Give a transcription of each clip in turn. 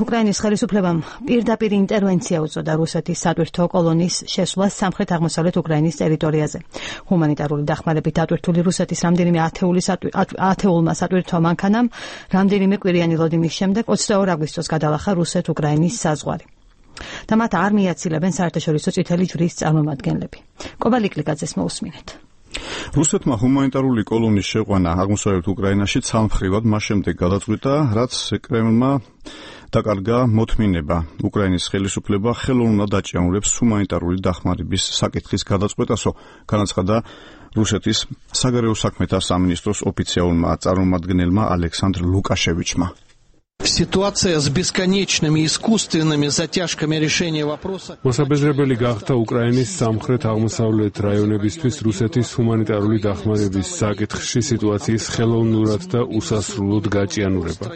უკრაინის ხელისუფლებამ პირდაპირ ინტერვენცია უწოდა რუსეთის სატვირთო კოლონის შესვლას სამხრეთ-აღმოსავლეთ უკრაინის ტერიტორიაზე. ჰუმანიტარული დახმარებით დატვირთული რუსეთის რამდენიმე ათეულმა სატვირთო მანქანამ რამდენიმე კვირიანი ლოდინის შემდეგ 22 აგვისტოს გადალახა რუსეთ-უკრაინის საზღვარი. და მათ არ მიაცილებენ საერთაშორისო წითელი ჯვრის წარმომადგენლები. კობალიკლიკაძეს მოусმინეთ. რუსეთმა ჰუმანიტარული კოლონის შეყვანა აღმოსავლეთ უკრაინაში ცალმხრივად მას შემდეგ გადაწყვიტა, რაც კრემლმა დაკარგა მოთმინება უკრაინის ხელისუფლება ხელოვნურად აჭიანურებს ჰუმანიტარული დახმარების საკითხის გადაწყვეტასო, განაცხადა რუსეთის საგარეო საქმეთა სამინისტროს ოფიციალურმა წარმომადგენელმა ალექსანდრ ლუკაშევიჩმა. Ситуация с бесконечными искусственными затяжками решения вопроса. მოსაბეზრებელი გახდა უკრაინის სამხრეთ-აღმოსავლეთ რაიონებისთვის რუსეთის ჰუმანიტარული დახმარების საკითხში სიტუაციის ხელოვნურად და უსასრულოდ გაჭიანურება.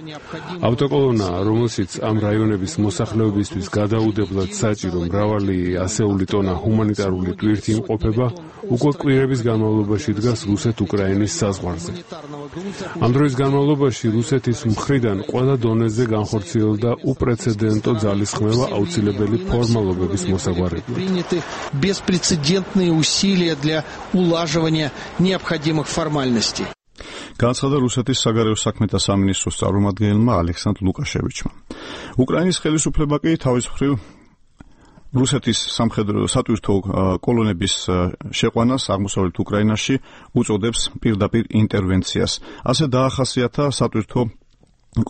ავტოკოლონა, რომელშიც ამ რაიონების მოსახლეობისთვის გადაუდებლად საჭირო მრავალი ასეული ტონა ჰუმანიტარული ტვირთი იმყოფება, უკვე კვირების განმავლობაში დგას რუსეთ-უკრაინის საზღვარზე. ამ დროის განმავლობაში რუსეთის მხრიდან ყველა დონეზე განხორციელდა უპრეცედენტო ძალისხმევა აუცილებელი ფორმალობების მოსაგვარებლად. Беспрецедентные усилия для улаживания необходимых формальностей. განაცხადა რუსეთის საგარეო საქმეთა სამინისტროს წარმომადგენელმა ალექსანდრ ლუკაშევიჩმა. უკრაინის ხელისუფლება კი თავის მხრივ რუსეთის სატვირთო კოლონების შეყვანას აღმოსავლეთ უკრაინაში უწოდებს პირდაპირ ინტერვენციას. ასე დაახასიათა სატვირთო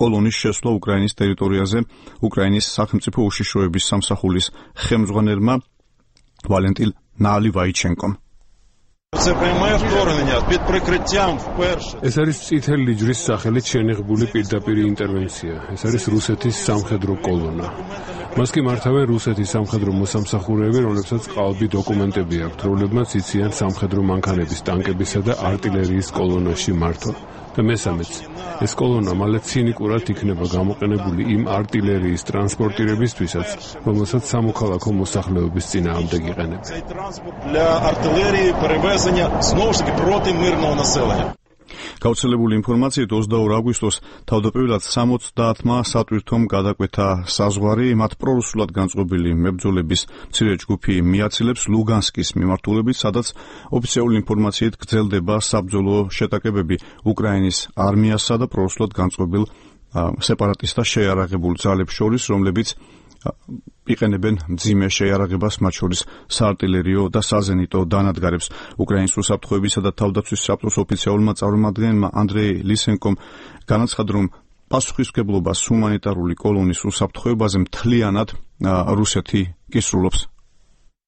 კოლონის შესვლა უკრაინის ტერიტორიაზე უკრაინის სახელმწიფო უშიშროების სამსახურის ხელმძღვანელმა ვალენტინ ნალივაიჩენკომ. ეს არის წითელი ჯვრის სახელით შენიღბული პირდაპირ ინტერვენცია. ეს არის რუსეთის სამხედრო კოლონა. მას კი მართავენ რუსეთის სამხედრო მოსამსახურეები, რომლებსაც ყალბი დოკუმენტები აქვთ, რომლებმაც იციან სამხედრო მანქანების, ტანკებისა და არტილერიის კოლონაში მართვა. და მესამეც, ეს კოლონა მალე ცინიკურად იქნება გამოყენებული იმ არტილერიის ტრანსპორტირებისთვისაც, რომელსაც სამოქალაქო მოსახლეობის წინააღმდეგ იყენებენ. გავრცელებული ინფორმაციით 22 აგვისტოს თავდაპირველად 70-მა სატვირთომ გადაკვეთა საზღვარი, მათ პრორუსულად განწყობილი მებრძოლების მცირე ჯგუფი მიაცილებს ლუგანსკის მიმართულებით, სადაც ოფიციალური ინფორმაციით გრძელდება საბრძოლო შეტაკებები უკრაინის არმიასა და პრორუსულად განწყობილ სეპარატისტთა შეიარაღებულ ძალებს შორის, რომლებიც იყენებენ მძიმე შეიარაღებას, მათ შორის საარტილერიო და საზენიტო დანადგარებს. უკრაინის უსაფრთხოებისა და თავდაცვის საბჭოს ოფიციალურმა წარმომადგენელმა ანდრეი ლისენკომ განაცხადა, რომ პასუხისმგებლობას ჰუმანიტარული კოლონის უსაფრთხოებაზე მთლიანად რუსეთი კისრულობს.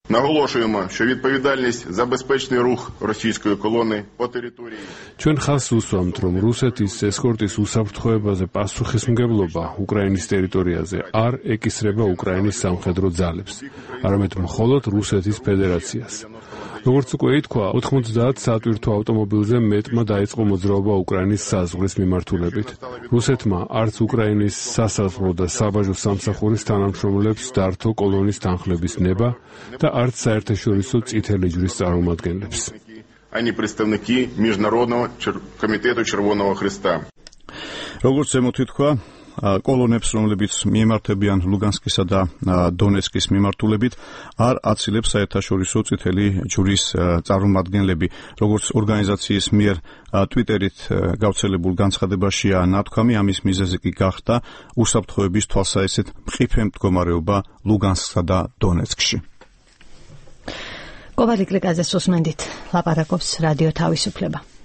Наголошуємо, що відповідальність за безпечний рух російської колони по території. ჩვენ ხაზს უსვამთ, რომ რუსეთის ესკორტის უსაფრთხოებაზე პასუხისმგებლობა უკრაინის ტერიტორიაზე არ ეკისრება უკრაინის სამხედრო ძალებს, არამედ მხოლოდ რუსეთის ფედერაციას. როგორც უკვე ითქვა, 90 სატვირთო ავტომობილზე მეტმა დაიწყო მოძრაობა უკრაინის საზღვრის მიმართულებით. რუსეთმა არც უკრაინის სასაზღვრო და საბაჟო სამსახურის თანამშრომლებს დართო კოლონის თანხლების ნება და არც საერთაშორისო წითელი ჯვრის წარმომადგენლებს. Ані представники Міжнародного комітету Червоного Христа. როგორც ზემოთ ითქვა, კოლონებს, რომლებიც მიემართებიან ლუგანსკისა და დონეცკის მიმართულებით, არ აცილებს საერთაშორისო წითელი ჯვრის წარმომადგენლები. როგორც ორგანიზაციის მიერ ტვიტერით გავრცელებულ განცხადებაშია ნათქვამი, ამის მიზეზი კი გახდა უსაფრთხოების თვალსაჩინო მყიფე მდგომარეობა ლუგანსკსა და დონეცკში. კობალიკლიკაძეს უსმენდით, ლაპარაკობს რადიო თავისუფლება.